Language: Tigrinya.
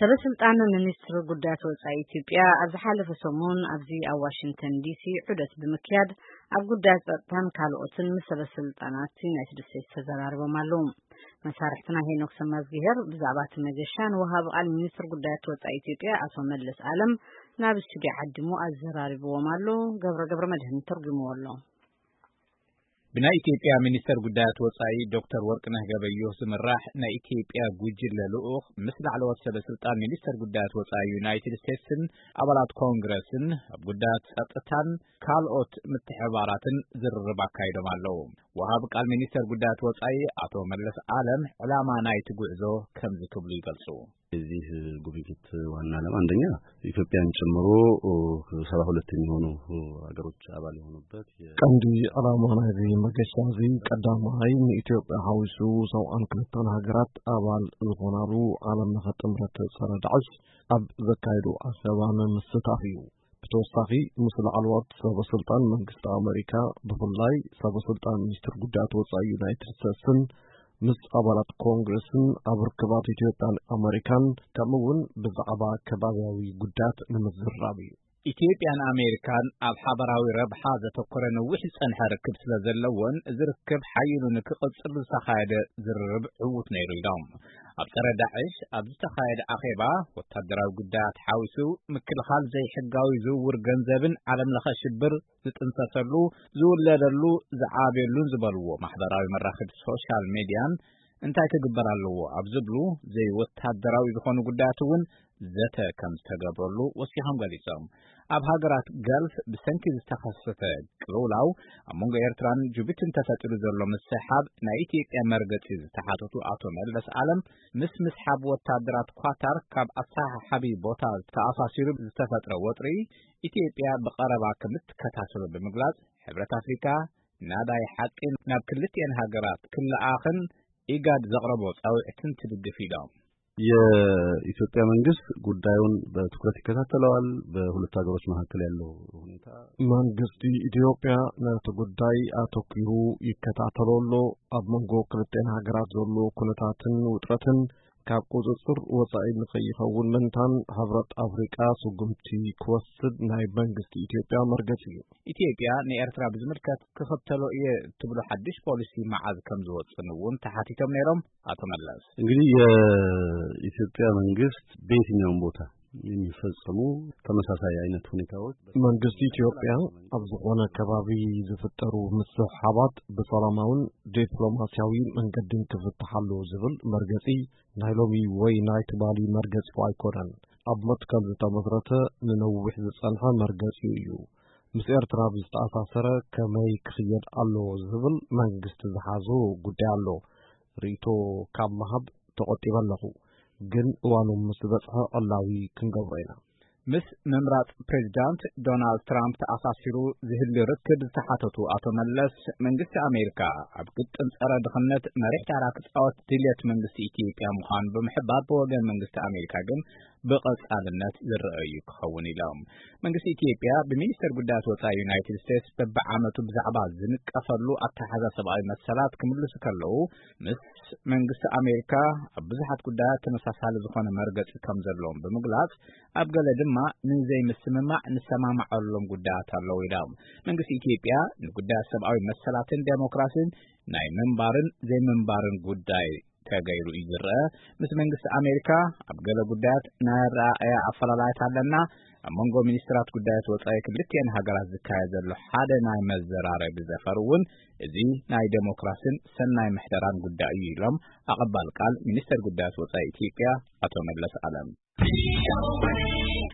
ሰበ ስልጣን ሚኒስትሪ ጉዳያት ወጻኢ ኢትዮጵያ ኣብ ዝሓለፈ ሰሙን ኣብዚ ኣብ ዋሽንግተን ዲሲ ዑደት ብምክያድ ኣብ ጉዳያት ጸጥታን ካልኦትን ምስ ሰበ ስልጣናት ዩናይትድ ስቴትስ ተዘራርቦም ኣለዉ። መሳርሕትና ሄኖክ ሰማዝግሄር ብዛዕባ እቲ መገሻ ንወሃቢ ቃል ሚኒስትሪ ጉዳያት ወጻኢ ኢትዮጵያ ኣቶ መለስ ኣለም ናብ ስቱዲዮ ዓዲሙ ኣዘራሪብዎም ኣሎ። ገብረ ገብረ መድህን ተርጉምዎ ኣሎ። ብናይ ኢትዮጵያ ሚኒስተር ጉዳያት ወጻኢ ዶክተር ወርቅነህ ገበዮህ ዝምራሕ ናይ ኢትዮጵያ ጉጅለ ልኡኽ ምስ ላዕለዎት ሰበ ስልጣን ሚኒስተር ጉዳያት ወጻኢ ዩናይትድ ስቴትስን ኣባላት ኮንግረስን ኣብ ጉዳያት ጸጥታን ካልኦት ምትሕባራትን ዝርርብ ኣካይዶም ኣለዉ። ወሃብ ቃል ሚኒስተር ጉዳያት ወጻኢ ኣቶ መለስ ኣለም ዕላማ ናይቲ ጉዕዞ ከምዚ ክብሉ ይገልጹ። የዚህ ጉብኝት ዋና ዓላማ አንደኛ ኢትዮጵያን ጨምሮ ሰባ ሁለት የሚሆኑ ሀገሮች አባል የሆኑበት የ- ቀንዲ ዕላማ ናይዚ መገሻ እዚ ቀዳማይ ንኢትዮጵያ ሓዊሱ ሰብዓን ክልተን ሃገራት ኣባል ዝኾናሉ ዓለም ለኸ ጥምረት ጸረ ዳዕሽ ኣብ ዘካየዱ ኣኼባ ንምስታፍ እዩ። ብተወሳኺ ምስ ላዕለዎት ሰበ ስልጣን መንግስቲ ኣመሪካ ብፍላይ ሰበ ስልጣን ሚኒስትር ጉዳያት ወጻኢ ዩናይትድ ስቴትስን ምስ ኣባላት ኮንግረስን ኣብ ርክባት ኢትዮጵያን ኣመሪካን ከምኡ እውን ብዛዕባ ከባቢያዊ ጉዳያት ንምዝራብ እዩ። ኢትዮጵያን ኣሜሪካን ኣብ ሓበራዊ ረብሓ ዘተኮረ ነዊሕ ዝጸንሐ ርክብ ስለ ዘለዎን እዚ ርክብ ሓይሉ ንክቕጽል ዝተኻየደ ዝርርብ ዕዉት ነይሩ ኢሎም። ኣብ ጸረ ዳዕሽ ኣብ ዝተኻየደ ኣኼባ ወታደራዊ ጉዳያት ሓዊሱ ምክልኻል ዘይሕጋዊ ዝውውር ገንዘብን ዓለም ለኸ ሽብር ዝጥንሰሰሉ፣ ዝውለደሉ፣ ዝዓብየሉን ዝበልዎ ማሕበራዊ መራኸቢ ሶሻል ሜድያን እንታይ ክግበር ኣለዎ ኣብ ዝብሉ ዘይወታደራዊ ዝኾኑ ጉዳያት እውን ዘተ ከም ዝተገብረሉ ወሲኾም ገሊጾም። ኣብ ሃገራት ገልፍ ብሰንኪ ዝተኸሰተ ቅልውላው ኣብ መንጎ ኤርትራን ጅቡቲን ተፈጢሩ ዘሎ ምስሕሓብ ናይ ኢትዮጵያ መርገጺ ዝተሓተቱ ኣቶ መለስ ኣለም ምስ ምስሓብ ወታደራት ኳታር ካብ ኣሰሓሓቢ ቦታ ተኣሳሲሩ ዝተፈጥረ ወጥሪ ኢትዮጵያ ብቐረባ ከምትከታተሎ ብምግላጽ ሕብረት ኣፍሪካ ናዳይ ሓቂ ናብ ክልቲኤን ሃገራት ክለኣኽን ኢጋድ ዘቕረቦ ጻውዒትን ትድግፍ ኢሎም። የኢትዮጵያ መንግስት ጉዳዩን በትኩረት ይከታተለዋል። በሁለቱ ሀገሮች መካከል ያለው ሁኔታ መንግስቲ ኢትዮጵያ ነቲ ጉዳይ ኣተኲሩ ይከታተሎ ኣሎ። ኣብ መንጎ ክልቲኤን ሃገራት ዘሎ ኩነታትን ውጥረትን ካብ ቁጽጽር ወጻኢ ንኸይኸውን ምእንታን ሕብረት ኣፍሪቃ ስጉምቲ ክወስድ ናይ መንግስቲ ኢትዮጵያ መርገጺ እዩ። ኢትዮጵያ ንኤርትራ ብዝምልከት ክኽተሎ እየ እትብሎ ሓድሽ ፖሊሲ መዓዝ ከም ዝወጽን እውን ተሓቲቶም ነይሮም ኣቶ መለስ። እንግዲህ የኢትዮጵያ መንግስት በየትኛውም ቦታ የሚፈጸሙ ተመሳሳይ አይነት ሁኔታዎች መንግስቲ ኢትዮጵያ ኣብ ዝኾነ ከባቢ ዝፍጠሩ ምስሕሓባት ብሰላማውን ዲፕሎማሲያዊ መንገድን ክፍትሓሉ ዝብል መርገጺ ናይ ሎሚ ወይ ናይ ትማሊ መርገጺኡ ኣይኮነን። ኣብ መትከል ዝተመስረተ ንነዊሕ ዝጸንሐ መርገጺኡ እዩ። ምስ ኤርትራ ብዝተኣሳሰረ ከመይ ክኽየድ ኣለዎ ዝብል መንግስቲ ዝሓዞ ጉዳይ ኣሎ። ርእይቶ ካብ ምሃብ ተቖጢበ ኣለኹ፣ ግን እዋኑ ምስ በጽሐ ዕላዊ ክንገብሮ ኢና። ምስ ምምራጽ ፕሬዚዳንት ዶናልድ ትራምፕ ተኣሳሲሩ ዝህሉ ርክብ ዝተሓተቱ ኣቶ መለስ፣ መንግስቲ ኣሜሪካ ኣብ ግጥም ጸረ ድኽነት መሪሕ ታራ ክጻወት ድልየት መንግስቲ ኢትዮጵያ ምዃኑ ብምሕባር፣ ብወገን መንግስቲ ኣሜሪካ ግን ብቐጻልነት ዝረኣዩ ክኸውን ኢሎም። መንግስቲ ኢትዮጵያ ብሚኒስተር ጉዳያት ወጻኢ ዩናይትድ ስቴትስ በብዓመቱ ብዛዕባ ዝንቀፈሉ ኣተሓዛ ሰብኣዊ መሰላት ክምልሱ ከለዉ፣ ምስ መንግስቲ ኣሜሪካ ኣብ ብዙሓት ጉዳያት ተመሳሳሊ ዝኾነ መርገጺ ከም ዘለዎም ብምግላጽ፣ ኣብ ገለ ድማ ንዘይምስምማዕ ንሰማማዓሎም ጉዳያት ኣለዉ ኢሎም። መንግስቲ ኢትዮጵያ ንጉዳያት ሰብኣዊ መሰላትን ዴሞክራሲን ናይ ምንባርን ዘይምንባርን ጉዳይ ተገይሩ እዩ ዝረአ። ምስ መንግስቲ ኣሜሪካ ኣብ ገለ ጉዳያት ናይ ኣረኣእያ ኣፈላላያት ኣለና። ኣብ መንጎ ሚኒስትራት ጉዳያት ወጻኢ ክልቲኤን ሃገራት ዝካየድ ዘሎ ሓደ ናይ መዘራረቢ ዘፈር እውን እዚ ናይ ዴሞክራሲን ሰናይ ምሕደራን ጉዳይ እዩ ኢሎም ኣቐባል ቃል ሚኒስተር ጉዳያት ወጻኢ ኢትዮጵያ ኣቶ መለስ ኣለም።